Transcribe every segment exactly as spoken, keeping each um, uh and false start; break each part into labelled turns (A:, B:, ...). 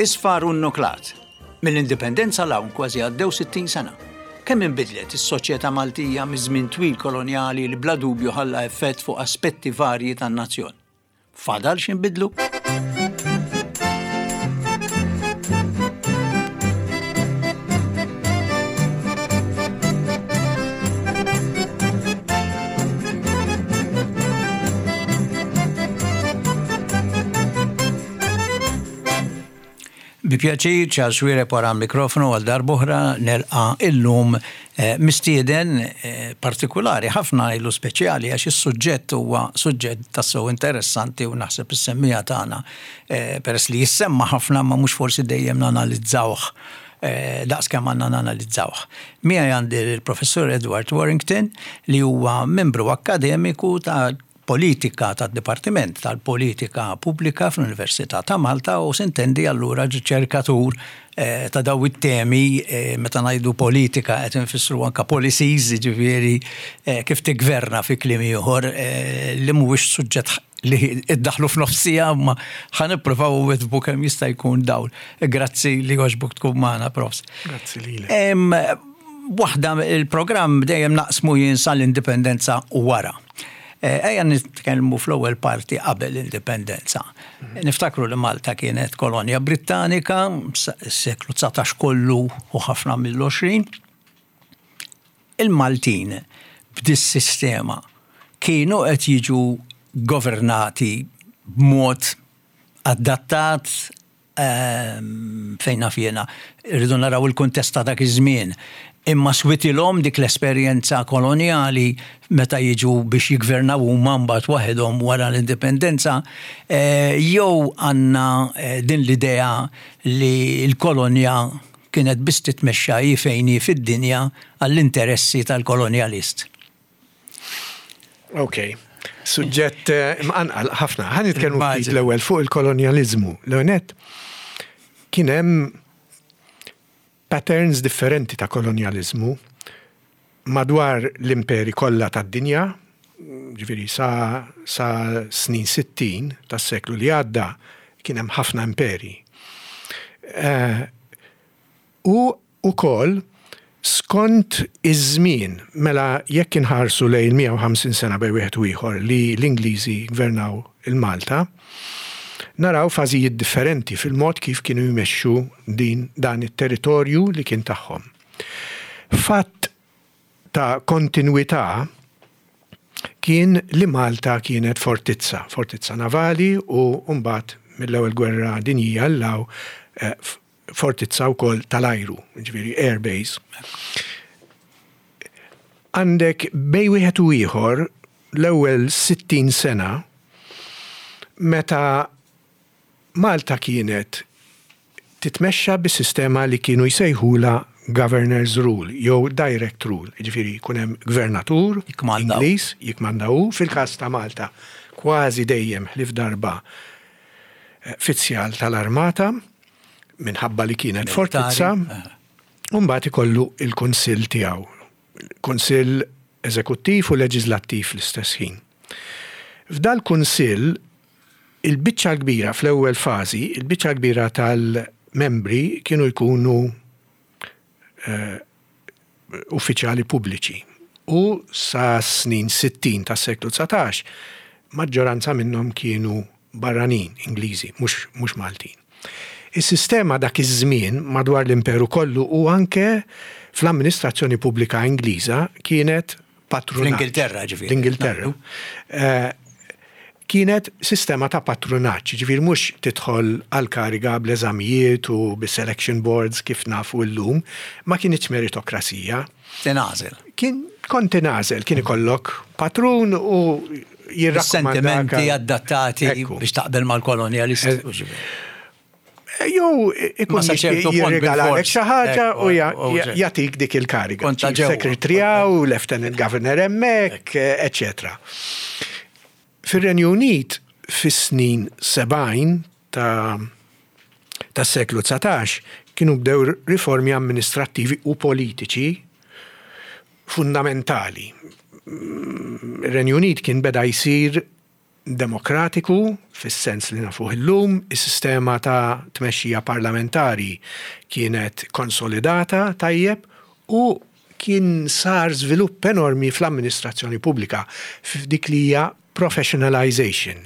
A: Isfar u nnuklat. Mill-Indipendenza 'l hawn kważi għaddew sittin sena. Kemm inbidlet is-soċjetà Maltija miż-żmien twil kolonjali li bla dubju ħalla effett fuq aspetti varji tan-nazzjon? Fadal x'inbidlu? Bi pjaċir, Charles Xuereb wara l-mikrofonu għal darb'oħra nelqa' illum eh, mistieden eh, partikulari ħafna ilu speċjali għax is-suġġett huwa suġġett tassew interessanti u naħseb is-semmija tagħna eh, peress li jissemma ħafna ma mhux forsi dejjem nanalizzawh daqs kemm għandna nanalizzawh. Miegħi għandi l-Professur Edward Warrington li huwa membru akkademiku ta' politika tad-Dipartiment tal-Politika Pubblika fl-Università ta' Malta u sintendi allura riċerkatur eh, ta' daw it-temi eh, meta ngħidu politika qed infissru anka policies, ġifieri eh, kif tigverna fi kliem ieħor li mhuwiex suġġett li iddaħlu f'nofsija ma ħa nippruvaw witbu kemm jista' jkun dawl. Grazzi li għoġbok tkun magħna, Profs.
B: Grazzi lilek.
A: Waħda il-programm dejjem naqsmu jien sal-indipendenza u wara. Ejja nitkellmu fl-ewwel parti qabel l-indipendenza. Niftakru li Malta kienet kolonja Brittanika, s-seklu dsatax kollu u ħafna mill-għoxrin. Il-Maltin b'dis-sistema kienu qed jiġu governati b'mod adattat fejn naf jiena, irridu naraw il-kuntest ta' dak iż-żmien. Imma switilhom dik l-esperjenza kolonjali meta jiġu biex jiggvernaw huma mbagħad waħedhom wara l-indipendenza, jew għandna din l-idea li l-kolonja kienet biss titmexxa hi fejn hi fid-dinja għall-interessi tal-kolonjalist.
B: Ok. Suġġett mqanqal ħafna. Ħa nitkellmu ftit l-ewwel fuq il-kolonjaliżmu. L-ewwel kien hemm patterns differenti ta' kolonjaliżmu madwar l-imperi kollha tad-dinja, ġifieri sa, sa snin sittin tas-seklu li għadda kien hemm ħafna imperi. Uh, u ukoll skont iż-żmien, mela jekk inħarsu lejn mija u ħamsin sena bejn wieħed u ieħor li l-Ingliżi gvernaw il-Malta, naraw fażijiet differenti fil-mod kif kienu jmexxu din dan it-territorju li kien tagħhom. Fatt ta' kontinwità kien li Malta kienet fortizza, fortizza navali u mbagħad mill-ewwel gwerra dinjija l-law eh, fortizza wkoll tal-ajru, ġifieri air base. Għandek bej wieħed u ieħor l-ewwel sittin sena meta Malta kienet titmexxa bis-sistema li kienu jsejħula Governor's Rule jew Direct Rule, ġifieri jkun hemm gvernatur Ingliż jikmanda hu, fil-każ ta' Malta kważi dejjem ħlief darba fizzjal tal-armata minħabba li kienet fortizza, u mbagħad ikollu il-kunsill tiegħu, kunsill eżekuttiv u leġislattiv fl-istess ħin. F'dal kunsill il-biċċa kbira fl-ewwel fażi, il-biċċa kbira tal-membri kienu jkunu eh, uffiċjali pubbliċi. U sa snin sittin tas-seklu dsatax, maġġoranza minnhom kienu barranin, Ingliżi, mhux Maltin. Is-sistema dak iż-żmien madwar l-imperu kollu u anke fl-amministrazzjoni pubblika Ingliża kienet patrunaġġ.
A: L-Ingilterra ġifieri.
B: L-Ingilterra. Kienet sistema ta' patrunaġġ, ġifieri mhux tidħol għal kariga bl-eżamijiet u bis-selection boards kif nafu llum, ma kienx meritokrasija.
A: Tinagħżel.
B: Kien kont tinagħżel, kien ikollok patrun u jirrakkomandak.
A: Sentimenti adattati biex taqbel mal-kolonjalisti.
B: Jew ikun jirregalalek xi ħaġa u jagħtik dik il-kariga. Secretary u Lieutenant Governor hemmhekk, eċetera. Fir-Renju Unit fis-snin sebgħin tas-seklu dsatax kienu bdew riformi amministrattivi u politiċi fundamentali. Ir-Renju Unit kien beda jsir demokratiku fis-sens li nafuh illum, is-sistema ta' tmexxija parlamentari kienet konsolidata tajjeb u kien sar żvilupp enormi fl-amministrazzjoni pubblika f'dik li hija professionalization.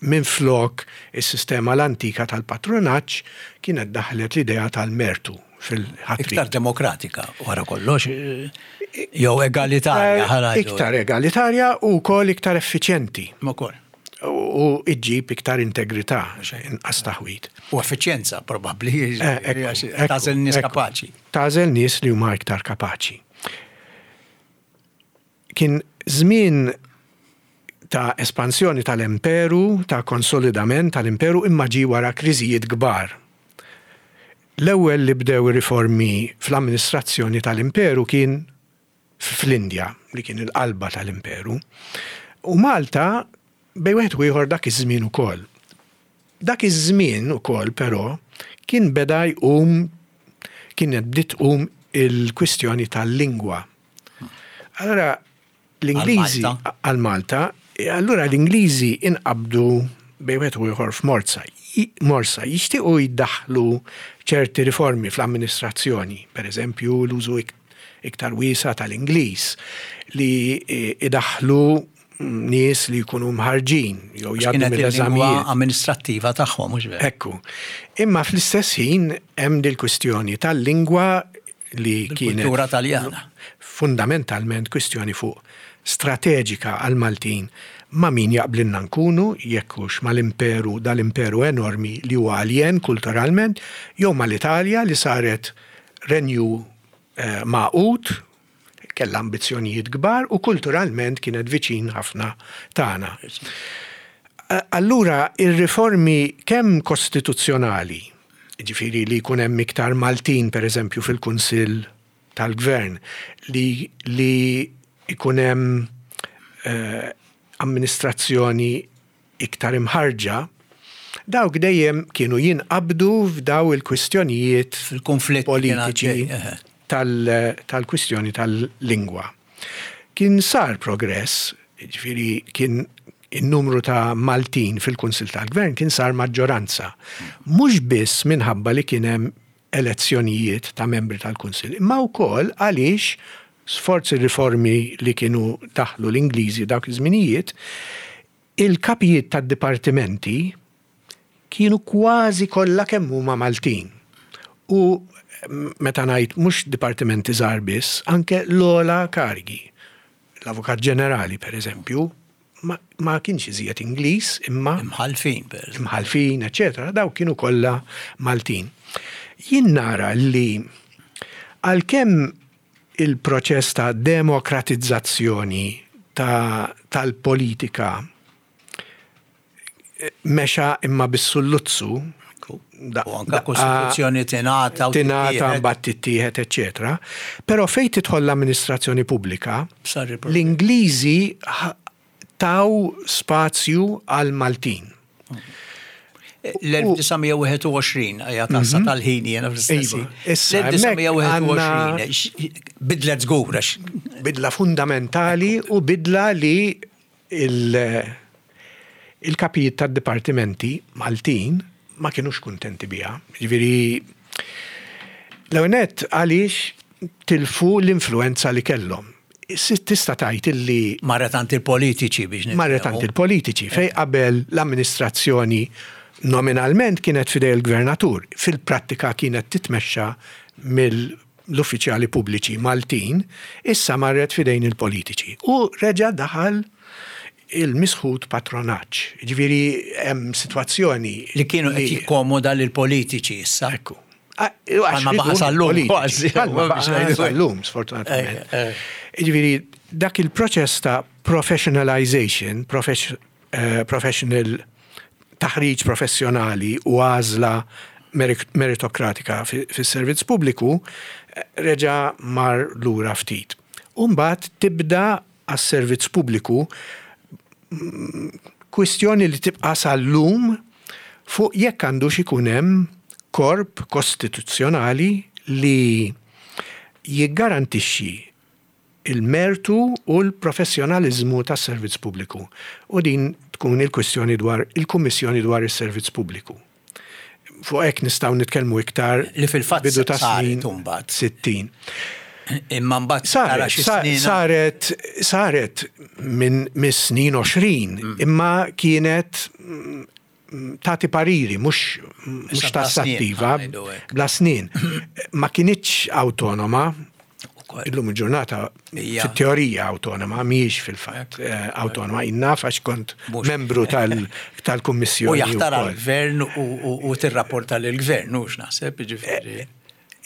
B: Minn flok is-sistema l-antika tal-patronaġġ kienet daħlet l-idea tal-mertu fil-ħatri.
A: Iktar demokratika, wara kollox, jew egalitarja.
B: Iktar egalitarja u wkoll iktar effiċjenti.
A: Ukoll.
B: U iġġib iktar integrità, inqas taħwid.
A: U effiċjenza, probabbli, tagħżel nies kapaċi.
B: Tagħżel nies li huma iktar kapaċi. Kien żmien ta' espansjoni tal-imperu, ta' konsolidament tal-imperu, imma ġie wara kriżijiet kbar. L-ewwel li bdew riformi fl-amministrazzjoni tal-imperu kien fl-Indja, li kien il-qalba tal-imperu. U Malta bejn wieħed u ieħor dak iż-żmien ukoll. Dak iż-żmien ukoll però kien beda jqum, kienet bdiet tqum il-kwistjoni tal-lingwa. Allora l-Ingliżi għal Malta, allura l-Ingliżi inqabdu bejn wieħed u ieħor f'morsa. Morsa jixtiequ jiddaħlu ċerti riformi fl-amministrazzjoni, per eżempju l-użu iktar wiesa tal-Ingliż, li idaħlu nies li jkunu mħarġin
A: jew jgħaddu mill-eżamijiet amministrattiva tagħhom, mhux
B: vera. Ekku. Imma fl-istess ħin hemm dil-kwistjoni tal-lingwa li kienet
A: kultura Taljana.
B: Fundamentalment kwistjoni fuq strateġika għal-Maltin ma' min jaqblinna nkunu, jekk hux mal-imperu, dal-imperu enormi li huwa aljen kulturalment, jew mal-Italja li saret renju eh, magħqud, kellha ambizzjonijiet kbar u kulturalment kienet viċin ħafna tagħna. Allura ir-riformi kemm kostituzzjonali, ġifieri li jkun hemm iktar Maltin per eżempju fil-Kunsill tal-Gvern, li, li jkun hemm eh, amministrazzjoni iktar imħarġa, dawk dejjem kienu jinqabdu f'daw il-kwistjonijiet
A: fil-konflitt
B: politiċi tal-kwistjoni tal-lingwa. Kien sar progress, ġifieri kien il-numru ta' Maltin fil-Kunsill tal-Gvern kien sar maġġoranza. Mhux biss minħabba li kien hemm elezzjonijiet ta' membri tal-Kunsill, imma wkoll għaliex sforzi riformi li kienu daħlu l-Ingliżi dawk iż-żminijiet, il-kapijiet tad-dipartimenti kienu kważi kollha kemm huma Maltin. U meta ngħid mhux dipartimenti żgħar biss, anke l-ogħla karigi. L-Avukat Ġenerali, per eżempju, ma, ma kienx iżjed Ingliż, imma
A: imħalfin, per
B: eżempju. Imħalfin, eċetera, daw kienu kollha Maltin. Jien nara li għalkemm il-proċess ta' demokratizzazzjoni ta' tal-politika mexa imma bis-sulluzzu,
A: u anka kostituzzjoni tingħata
B: u tingħata mbagħad tittieħed, eċetera. Però fejn tidħol l-amministrazzjoni pubblika, l-Ingliżi taw spazju għal Maltin.
A: l-elf disa' mija wieħed u għoxrin, għajja tassa tal-ħin jena fl-istess.
B: Issa,
A: l-elf disa' mija wieħed u
B: hemmhekk
A: għoxrin, bidlet żgur, għax
B: Bidla fundamentali u bidla li il-, il-kapijiet tad-dipartimenti Maltin ma kienux kuntenti biha. Ġifieri, l-ewwel għaliex tilfu l-influenza li kellhom. Tista' tgħid illi
A: Marret għand il-politiċi biex nifhmu.
B: Marret għand il-politiċi, fej qabel l-amministrazzjoni nominalment kienet fidej il-gvernatur, fil-prattika kienet titmexxa mill-uffiċjali pubbliċi Maltin, issa marret fidejn il-politiċi. U reġa' daħal il-misħut patronaġġ. Ġifieri hemm sitwazzjoni
A: li kienu qed
B: li
A: jikkomoda lill-politiċi issa.
B: Ekku. Għax
A: Għalma baqa' sal-lum,
B: politiċi.
A: kważi.
B: Għalma baqa'
A: Biex ngħidu.
B: sal-lum, sfortunatament.
A: Eh, eh.
B: Ġifieri, dak il-proċess ta' professionalization, profes-, eh, professional taħriġ professjonali u għażla merit-, meritokratika fi-, fis-servizz pubbliku, eh, reġa' mar lura ftit. U mbagħad tibda għas-servizz pubbliku kwistjoni li tibqa' sal-lum fuq jekk għandux ikun hemm korp kostituzzjonali li jiggarantixxi il-mertu u l-professjonalizmu tas-servizz pubbliku. U din tkun il-kwistjoni dwar il-Kummissjoni dwar is-Servizz Pubbliku. Fuq hekk nistgħu nitkellmu iktar
A: li fil-fatt
B: bidu ta'
A: saret
B: snin
A: imbagħad.
B: sittin.
A: Imma mbagħad tara
B: Saret,
A: xi
B: sa-
A: snin.
B: saret, saret minn mis-snin għoxrin,
A: Mm.
B: imma kienet mm, tagħti pariri, mhux mhux
A: Issa bla snin,
B: tassattiva,
A: ngħidu hekk.
B: bla snin. Ma kinitx autonoma,
A: Ukoll.
B: illum il-ġurnata
A: Hija.
B: fit-teorija autonoma, mhijiex fil-fatt eh, autonoma, innaf għax kont
A: Mhux.
B: membru tal- tal-kummissjoni.
A: U jaħtar
B: wkoll.
A: għal-gvern u- u u tirrapporta lill-gvern, hux naħseb, ġifieri.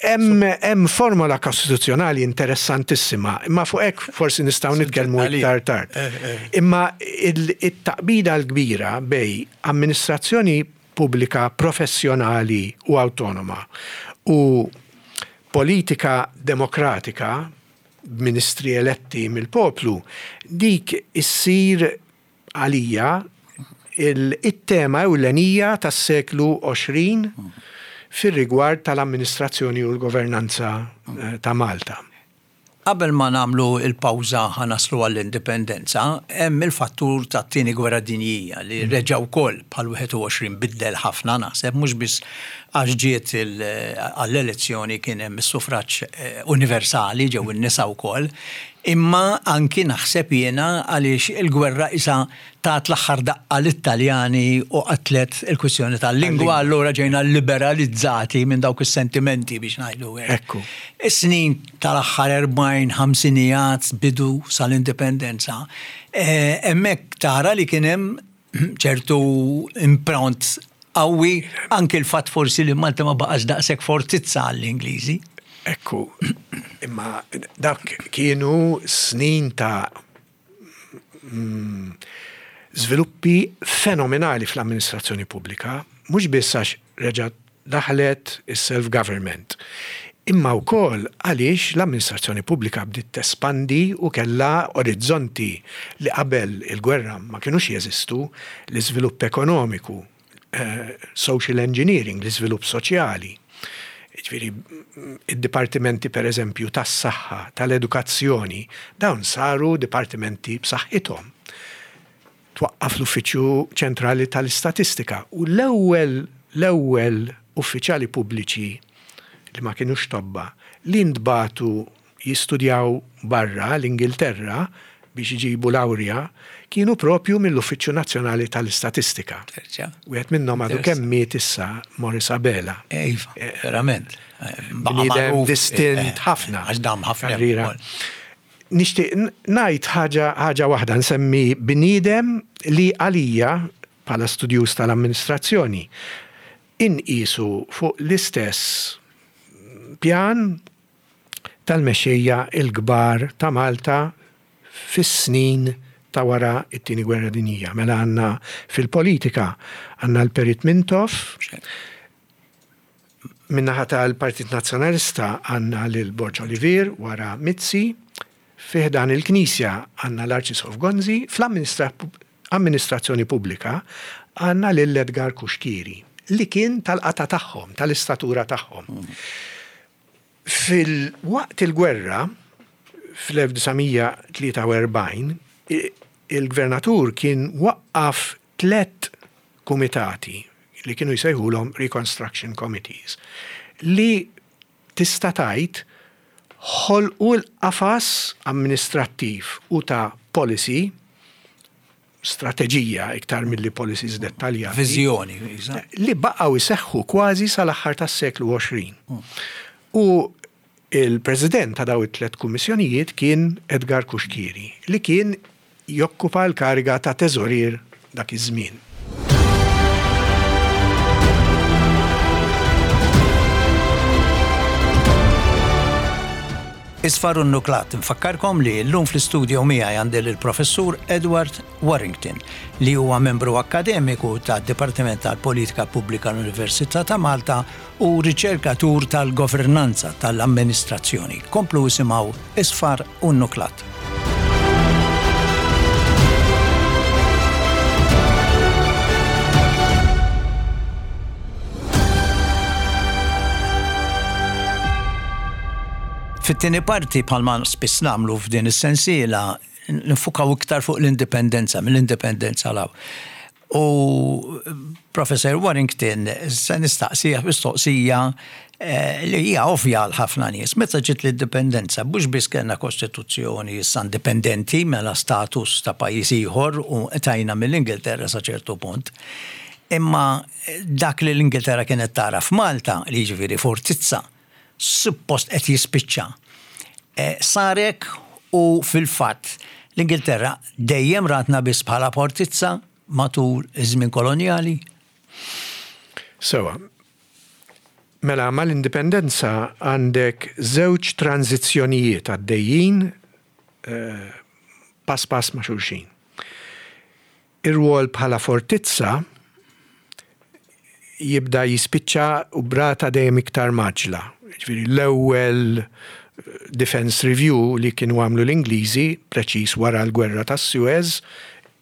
B: Hemm hemm formola kostituzzjonali interessantissima, imma fuq hekk forsi nistgħu nitkellmu
A: għalija.
B: iktar tard.
A: Eh, eh.
B: Imma il- it-taqbida l-kbira bejn amministrazzjoni pubblika professjonali u autonoma u politika demokratika b'ministri eletti mill-poplu, dik issir għalija il- it-tema ewlenija tas-seklu għoxrin fir-rigward tal-amministrazzjoni u l-governanza eh, ta' Malta.
A: Qabel ma nagħmlu il-pawża ħa naslu għall-indipendenza, hemm il-fattur tat-tieni gwerra dinjija li reġa' wkoll bħal wieħed u għoxrin biddel ħafna, naħseb, mhux biss għax ġiet il- għall-elezzjoni kien hemm is-suffraġġ eh, universali, ġew in-nisa wkoll, imma anki naħseb jiena għaliex il-gwerra isa tat l-aħħar daqqa lit-Taljani u qatlet il-kwistjoni tal-lingwa, allura ġejna liberalizzati minn dawk is-sentimenti, biex ngħidu hekk.
B: Ekku.
A: Is-snin tal-aħħar erbgħin, ħamsinijat bidu sal-indipendenza. eh, Hemmhekk tara li kien hemm ċertu impront qawwi, anke l-fatt forsi li Malta ma baqax daqshekk fortizza għall-Ingliżi.
B: Ekku, imma dak kienu snin ta' mm, żviluppi fenomenali fl-amministrazzjoni pubblika, mhux biss għax reġgħet daħlet is-self-government, imma wkoll għaliex l-amministrazzjoni pubblika bdiet tespandi u kellha orizzonti li qabel il-gwerra ma kinux jeżistu, l-iżvilupp ekonomiku, eh, social engineering, l-iżvilupp soċjali. Ġifieri, id-dipartimenti per eżempju tas-saħħa, tal-edukazzjoni, dawn saru dipartimenti b'saħħithom. Twaqqaf l-Uffiċċju Ċentrali tal-Istatistika u l-ewwel l-ewwel uffiċjali pubbliċi li ma kienux tobba li ntbagħtu jistudjaw barra l-Ingilterra biex iġibu lawrja kienu propju mill-Uffiċċju Nazzjonali tal-Istatistika.
A: Terġa'.
B: Wieħed minnhom għadu kemm miet issa, Morris Abela.
A: Iva, verament. Baqa'
B: Bniedem
A: magħruf,
B: distint
A: eh,
B: ħafna.
A: Għax dam ħafna.
B: Karriera.
A: ukoll.
B: Nixtieq ngħid ħaġa ħaġa waħda, nsemmi bniedem li għalija bħala studjuż tal-amministrazzjoni inqisu fuq l-istess pjan tal-mexxejja il-kbar ta' Malta fis-snin ta' wara it-tieni gwerra dinjija. Mela għandna fil-politika għandna l-Perit Mintoff, min-naħa tal-Partit Nazzjonalista għandna lil Borg Olivier wara Mizzi, fi ħdan il-Knisja għandna l-Arċisqof Gonzi, fl-amministrazzjoni pubblika għandna lil Edgar Cuschieri, li kien tal-qata tagħhom, tal-istatura tagħhom. Fil-waqt il-gwerra, fl-elf disa' mija tlieta u erbgħin, il-gvernatur kien waqqaf tlet kumitati li kienu jsejħulhom Reconstruction Committees, li tista' tgħid ħolqu l-qafas amministrattiv u ta' policy, strateġija iktar milli policies dettaljati.
A: Viżjoni, iża.
B: Li baqgħu jseħħu kważi sal-aħħar tas-seklu għoxrin. U il-president ta' daw it-tlet kummissjonijiet kien Edgar Cuschieri, li kien jokkupa l-kariga ta' teżorier dak iż-żmien.
A: Isfar u Nuklat, nfakkarkom li l-lum fl-studio miegħi għandi l-professur Edward Warrington, li huwa membru akademiku tad Dipartiment tal-Politika Pubblika l-Università ta' Malta u riċerkatur tal-governanza tal-amministrazzjoni. Komplu isimgħu Isfar u Nuklat. Fit-tieni parti, bħalma spiss nagħmlu f'din is-sensiela, niffukaw iktar fuq l-indipendenza, mill-indipendenza 'l hawn. U Professor Warrington, se nistaqsija mistoqsija eh, li hija ovvja għal ħafna nies. Meta ġiet l-indipendenza, mhux biss kellna kostituzzjoni issa indipendenti, mela status ta' pajjiż ieħor u tajna mill-Ingilterra sa ċertu punt. Imma dak li l-Ingilterra kienet tara f'Malta, li jiġifieri fortizza, suppost qed jispiċċa. Eh, Sarek u fil-fatt l-Ingilterra dejjem ratna biss bħala fortizza matul iż-żmien kolonjali?
B: Sewa. Mela, mal-indipendenza għandek żewġ tranzizzjonijiet għaddejjin eh, pass pass ma' xulxin. Ir-rwol bħala fortizza jibda jispiċċa u b'rata dejjem iktar mgħaġġla. Ġifieri l-ewwel eh, Defense Review li kienu għamlu l-Ingliżi preċis wara l-gwerra tas Suez,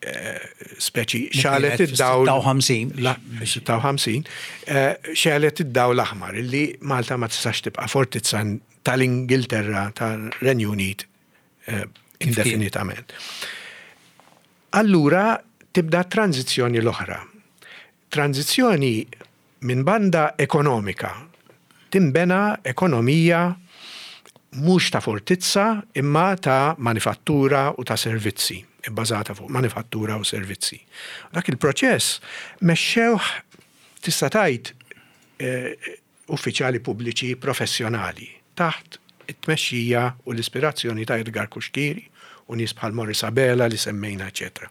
B: eh, speċi xegħlet id-dawl.
A: sitta u ħamsin.
B: La, sitta u ħamsin, eh, xegħlet id-dawl l-aħmar illi Malta ma tistax tibqa' fortizza tal-Ingilterra, tal-Renju Unit eh, indefinitament. Allura tibda tranzizzjoni l-oħra. Tranzizzjoni minn banda ekonomika. Timbena ekonomija mhux ta' fortizza imma ta' manifattura u ta' servizzi, bbażata fuq manifattura u servizzi. Dak il-proċess mexxewh, tista' tgħid, eh, uffiċjali pubbliċi professjonali taħt it-tmexxija u l-ispirazzjoni ta' Edgar Cuschieri u nies bħal Morris Abela li semmejna, eċetera.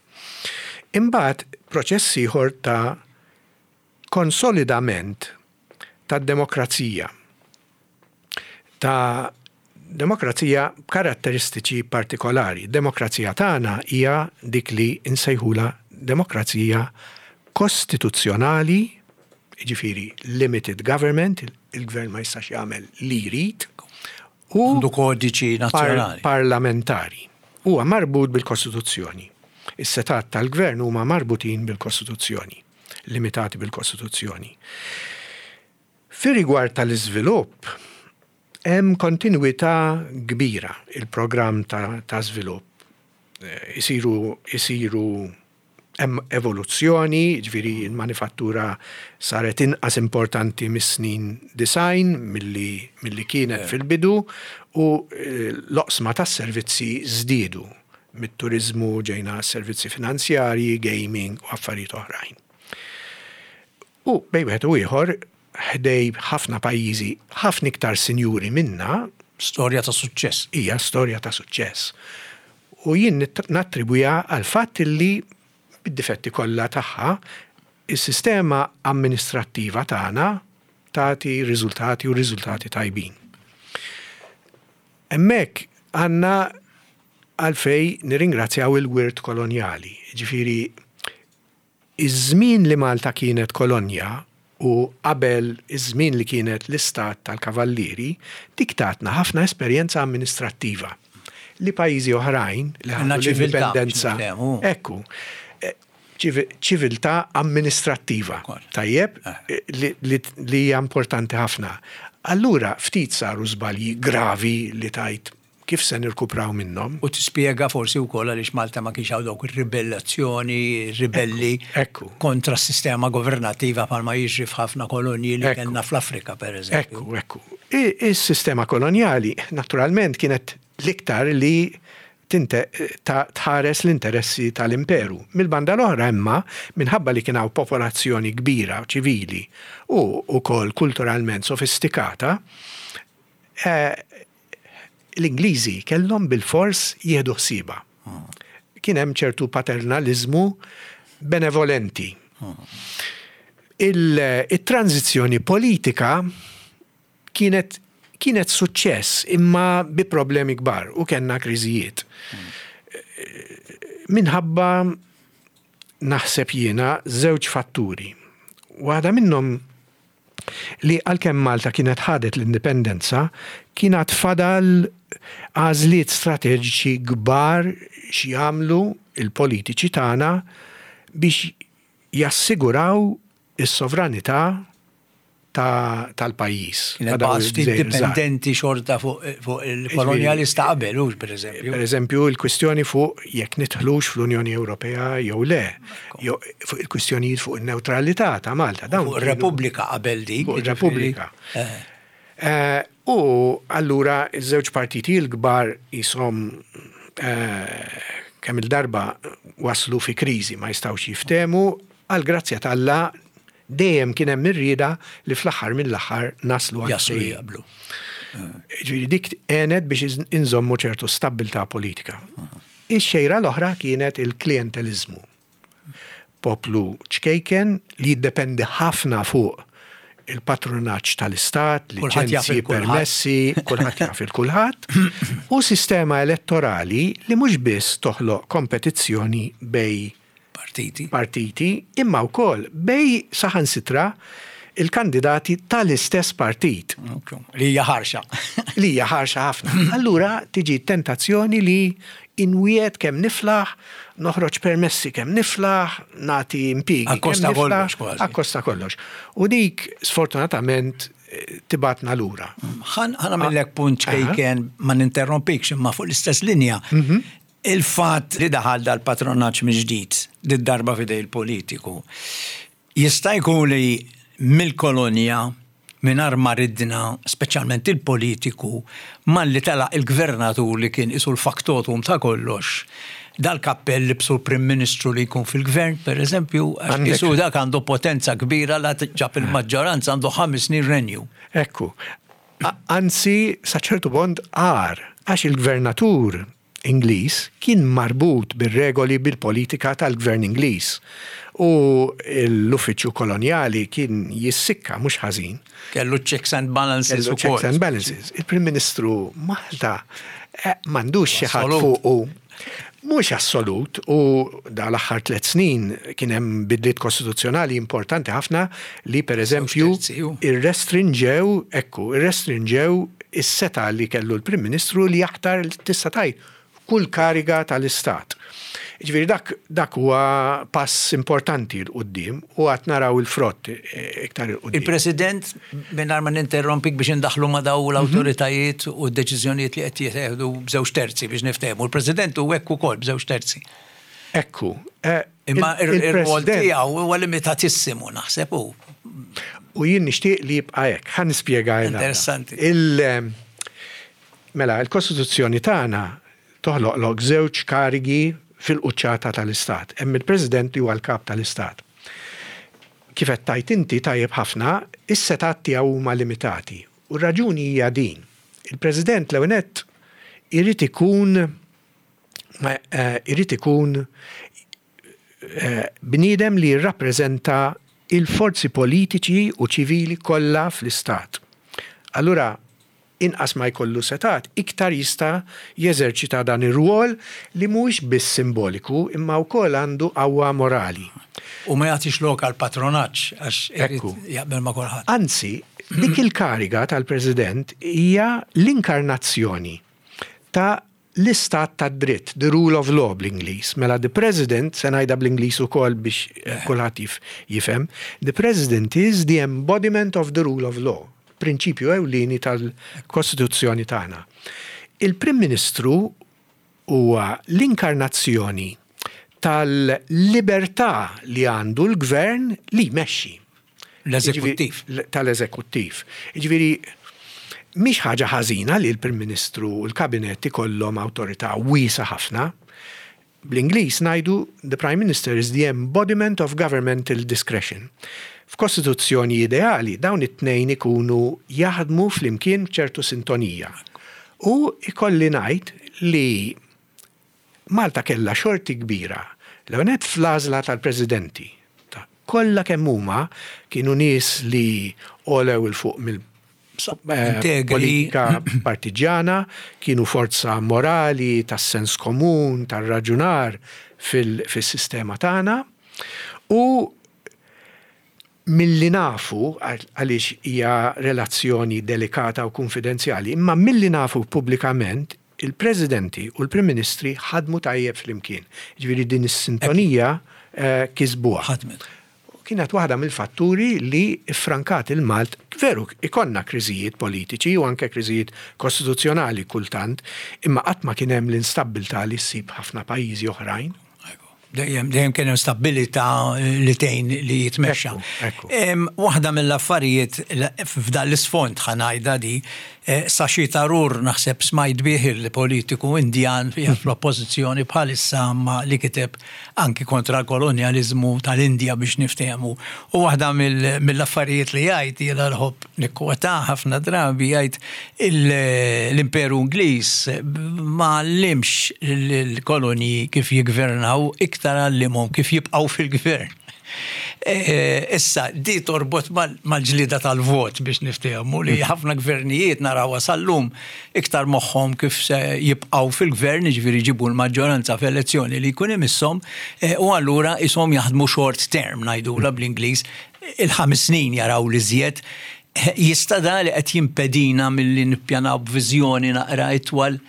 B: Imbagħad proċess ieħor ta' konsolidament tad-demokrazija. Ta' demokrazija b'karatteristiċi partikolari. Demokrazija tagħna hija dik li nsejħula demokrazija kostituzzjonali, jiġifieri limited government, il-gvern ma jistax jagħmel li jrid, u
A: Għandu kodiċi nazzjonali.
B: par parlamentari. Huwa marbut bil-Kostituzzjoni. Is-setgħat tal-gvern huma marbutin bil-Kostituzzjoni, limitati bil-Kostituzzjoni. Fi rigward tal-iżvilupp, hemm kontinuità kbira il-programm ta', ta' żvilupp. Eh, Isiru, isiru hemm evoluzzjoni, ġifieri il-manifattura saret inqas importanti mis-snin disgħin milli, milli kienet fil-bidu u eh, l-oqsma tas-servizzi żdiedu. Mit-turizmu ġejna servizzi finanzjarji, gaming u affarijiet oħrajn. U bejn wieħed u ieħor, ħdejn ħafna pajjiżi ħafna iktar sinjuri minna,
A: Storja ta' suċċess.
B: Hija storja ta' suċċess. U jien nit- nattribwija għal fatt li bid-difetti kollha tagħha, is-sistema amministrattiva tagħna tagħti riżultati u riżultati tajbin. Hemmhekk għandna għalfejn nirringrazzjaw il-wirt kolonjali. Ġifieri, iż-żmien li Malta kienet kolonja u qabel iż-żmien li kienet l-istat tal-kavallieri, dik tatna ħafna esperjenza amministrattiva li pajjiżi oħrajn li
A: Għandna
B: ħadu
A: ċiviltà,
B: l-indipendenza.
A: biex niftehmu.
B: Ekku, eh, ċivi- ċiviltà amministrattiva.
A: Kol.
B: Tajjeb,
A: Eh.
B: li, li, li hija importanti ħafna. Allura, ftit saru żbalji gravi li tajt kif se nirkupraw minnhom.
A: U tispjega forsi wkoll għaliex Malta ma kienx hawn dawk ir-ribellazzjoni, ribelli
B: Ekku.
A: kontra s-sistema governattiva bħalma jiġri f'ħafna kolonji li
B: Ekku.
A: kellna fl-Afrika, per eżempju.
B: Ekku, ekku. I- Is-sistema kolonjali, naturalment, kienet l-iktar li tinte, ta' tħares l-interessi tal-imperu. Mil-banda l-oħra imma, minħabba li kien hawn popolazzjoni kbira, ċivili u ukoll kulturalment sofistikata, eh, l-Ingliżi kellhom bil-fors jieħdu ħsieba. Kien hemm ċertu paternalizmu benevolenti. Il-tranzizzjoni politika kienet kienet suċċess imma bi problemi kbar u kellna kriżijiet. Minħabba, naħseb jiena, żewġ fatturi. Waħda minnhom li għalkemm Malta kienet ħadet l-indipendenza, kienet fadal għażliet strateġiċi kbar x'jagħmlu il-politiċi tagħna biex jassiguraw is-sovranità Tal-pajjiż.
A: Kienet ftit dipendenti xorta fuq il-kolonjalista qabel, hux, per eżempju.
B: Per eżempju, il-kwistjoni fuq jekk nidħlux fl-Unjoni Ewropea jew le, fuq il-kwistjonijiet fuq il-neutralità ta' Malta.
A: Fuq il-Repubblika qabel dik.
B: Fuq il-Repubblika. Eh. Eh, u allura iż-żewġ partiti l-kbar jisom eh, kemm il-darba waslu fi kriżi, ma jistgħux jiftehmu. Għal grazzja t'Alla dejjem kien hemm ir-rieda li fl-aħħar mill-aħħar naslu
A: għal Jaslu jaqblu.
B: Ġifieri dik għenet biex inżommu ċertu stabbiltà politika. Ix-xejra l-oħra kienet il-klientelizmu. Poplu ċkejken li jiddependi ħafna fuq il-patronaġġ tal-istat, liċenzji, permessi, kulħadd jaf il-kulħadd, u sistema elettorali li mhux biss toħloq kompetizzjoni bejn
A: partiti.
B: Partiti, imma wkoll bejn saħansitra il-kandidati tal-istess partit.
A: Li hija ħarxa.
B: Li hija ħarxa ħafna. Allura tiġi tentazzjoni li inwiegħed kemm niflaħ, noħroġ permessi kemm niflaħ, nagħti impjiegi.
A: Akkosta kollox kważi.
B: Akkosta kollox. U dik sfortunatament tibgħatna lura.
A: Ħa nagħmillek punt ċkejken, ma ninterrompikx, imma fuq l-istess linja. Mhm. Il-fatt li daħal dal-patronaġġ mill-ġdid, darba f'idejn il-politiku, jista' jkun li mill-kolonja, mingħajr ma ridna, speċjalment il-politiku, malli telaq il-gvernatur li kien qisu l-factotum ta' kollox, dal-kappell li libsu l-Prim Ministru li jkun fil-gvern, per eżempju, għax dak għandu potenza kbira, la ġab il-maġġoranza għandu ħames snin renju.
B: Ekku, anzi, sa ċertu punt għar, għax il-gvernatur Ingliż kien marbut bir-regoli, bil-politika tal-gvern Ingliż. U l-uffiċċju koloniali kien jissikka mhux ħażin.
A: Kellu checks and balances.
B: Kellu checks and balances. Il-Prim Ministru Malta eh, m'għandux xi ħadd fuqu. Mhux assolut, u da l-aħħar tliet snin kien hemm bidliet kostituzzjonali importanti ħafna li, per eżempju, irrestrinġew, ekku, irrestrinġew is-setgħa li kellu l-Prim Ministru li jaħtar, tista' tgħid, kull kariga tal-Istat. Ġifieri dak, dak huwa pass importanti 'l quddiem u għad naraw il-frott eh, iktar 'il quddiem.
A: Il-President, mingħajr ma ninterrompik, biex indaħlu ma daw l-awtoritajiet u d-deċiżjonijiet li qed jieħdu b'żewġ terzi biex niftehmu. Il-President u hekk ukoll b'żewġ terzi.
B: Ekku.
A: Eh, Imma ir-rwol tiegħu huwa limitatissimu, naħseb hu.
B: U jien nixtieq li jibqa' hekk. Ħa nispjega.
A: Interessanti.
B: Il Mela, il-Kostituzzjoni tagħna toħloq żewġ karigi fil-quċċata tal-Istat. Hemm il-President li huwa l-kap tal-Istat. Kif qed tgħid inti tajjeb ħafna, is-setgħat tiegħu huma limitati. U r-raġuni hija din. Il-President l nett irid ikun eh, irid ikun eh, bniedem li jirrappreżenta il-forzi politiċi u ċivili kollha fl-Istat. Allura, inqas ma jkollu setgħat, iktar jista' jeżerċita dan ir-rwol li mhuwiex biss simboliku imma wkoll għandu qawwa morali.
A: U ma jagħtix lok għal patronaġġ għax
B: Ekku.
A: jaqbel ma' kulħadd.
B: Anzi, dik il-kariga tal-President hija l-inkarnazzjoni ta' l-istat ta' dritt, the rule of law bl-Ingliż. Mela the President, se ngħidha bl-Ingliż ukoll biex eh, kulħadd jifhem, the President is the embodiment of the rule of law, prinċipju ewlieni tal-Kostituzzjoni tagħna. Il-Prim Ministru huwa l-inkarnazzjoni tal-libertà li għandu l-gvern li jmexxi.
A: L-eżekuttiv.
B: Tal-eżekuttiv. Ġifieri, mhix ħaġa ħażina li l-Prim Ministru u l-Kabinett ikollhom awtorità wiesgħa ħafna. Bl-Ingliż ngħidu "the Prime Minister is the embodiment of governmental discretion". F'kostituzzjoni ideali dawn it-tnejn ikunu jaħdmu flimkien ċertu sintonija. U ikolli ngħid li Malta kella xorti kbira l-għonet fl-għażla tal-presidenti. Kollha kemm huma kienu nies li għolew 'il fuq mill eh, politika partiġjana, kienu forza morali, tas-sens komun, tar-raġunar fil-sistema tagħna. U milli nafu, għaliex hija relazzjoni delikata u konfidenzjali, imma milli nafu pubblikament, il-presidenti u l-prim ministri ħadmu tajjeb flimkien. Ġifieri din is-sintonija eh, kisbuha.
A: Ħadmet.
B: Kienet waħda mill-fatturi li frankat il-Malt, veru ikollna kriżijiet politiċi u anke kriżijiet kostituzzjonali kultant, imma qatt ma kien hemm l-instabbiltà li ssib ħafna pajjiżi oħrajn.
A: Dejjem dejjem kien hemm stabilità li tgħin li jitmexxa. Waħda mill-affarijiet f'dan l-isfond, ħa ngħidha di, eh, Shashi Tharoor, naħseb smajt bih, il-politiku Indjan fl-oppożizzjoni bħalissa, ma li kiteb anki kontra l-kolonjalizmu tal-Indja, biex niftehmu. U waħda mill-affarijiet li jgħid, jiena nħobb nikkwota ħafna drabi, jgħid l-Imperu Ingliż ma għallimx l-kolonji kif jigvernaw, iktar għallimhom kif jibqgħu fil-gvern. E, issa, di torbot mal-ġlida tal-vot, biex niftehmu, li ħafna gvernijiet naraw sal-lum iktar moħħom kif se jibqgħu fil-gvern, ġifieri jġibu l-maġġoranza fl-elezzjoni li jkun imisshom, e, u allura ishom jaħdmu short term, ngħidula bl-Ingliż, il-ħames snin jaraw li żjed. Jista' da li qed jimpedina milli nippjanaw b'viżjoni naqra itwal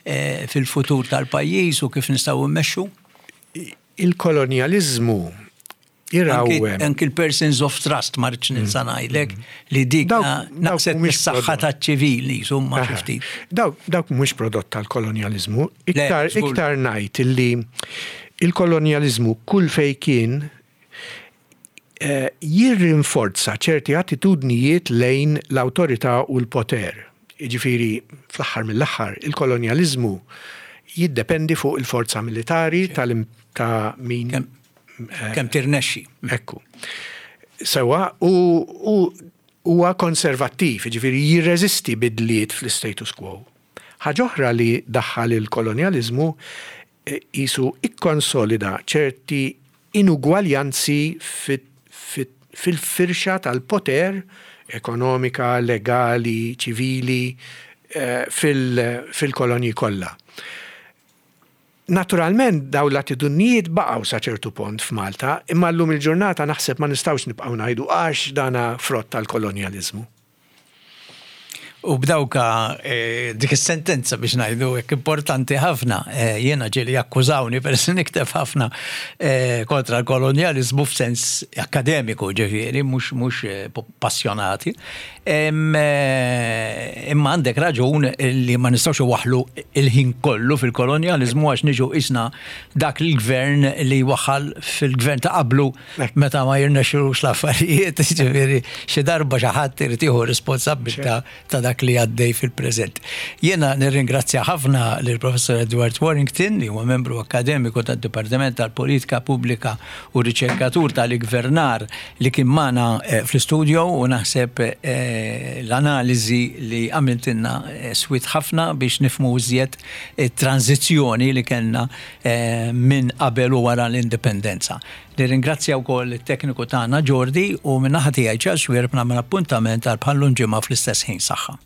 A: e, fil-futur tal-pajjiż u kif nistgħu mmexxu?
B: Il-kolonjalizmu irawwem.
A: Anki l-persons of trust, ma rridx ninsa ngħidlek li dik naqset mis-saħħa taċ-ċivili, insomma, xi ftit.
B: Dawk mhux prodott tal-kolonjalizmu, iktar iktar ngħid illi il-kolonjalizmu kull fej kien eh, jirrinforza ċerti attitudnijiet lejn l-awtorità u l-poter. Jiġifieri, fl-aħħar mill-aħħar, il-kolonjalizmu jiddependi fuq il-forza militari ta' min
A: kemm tirnexxi.
B: Ekku. Sewa, u huwa konservattiv, ġifieri jirreżisti bidliet fl-status quo. Ħaġa oħra li daħħal il-kolonjalizmu jisu ikkonsolida ċerti inugwaljanzi fil-firxa tal-poter ekonomika, legali, ċivili eh, fil-kolonji kollha. Naturalment daw l-attitudnijiet baqgħu sa ċertu punt f'Malta, imma llum il-ġurnata naħseb ma nistgħux nibqgħu ngħidu għax dana frott tal-kolonjaliżmu.
A: U b'dawka eh, dik is-sentenza, biex ngħidu hekk, importanti ħafna, eh, jiena ġieli akkużawni per nikteb ħafna eh, kontra l-kolonjalizmu f'sens akademiku, ġifieri mhux mhux passjonati. Imma għandek raġun li ma nistgħux waħlu il-ħin kollu fil-kolonjalizmu, għax niġu isna dak il-gvern li waħal fil-gvern ta' qablu meta ma jirnexxux l-affarijiet, ġifieri xi darba xi ħadd irid jieħu responsabbiltà ta' dak li għaddej fil-preżent. Jiena nirringrazzja ħafna lill-Professor Edward Warrington, li huwa membru akademiku tad-Dipartiment tal-Politika Pubblika u riċerkatur tal-Gvernar, li kien magħna eh, fl-istudio, u naħseb eh, l-analiżi li għamiltilna eh, swiet ħafna biex nifhmu iżjed it-tranzizzjoni li kellna minn qabel u wara l-indipendenza. Nirringrazzja wkoll it-tekniku tagħna Jordi, u minn naħa tiegħi Charles Xuereb nagħmel appuntament għal bħal-lum ġimgħa fl-istess ħin. Saħħa.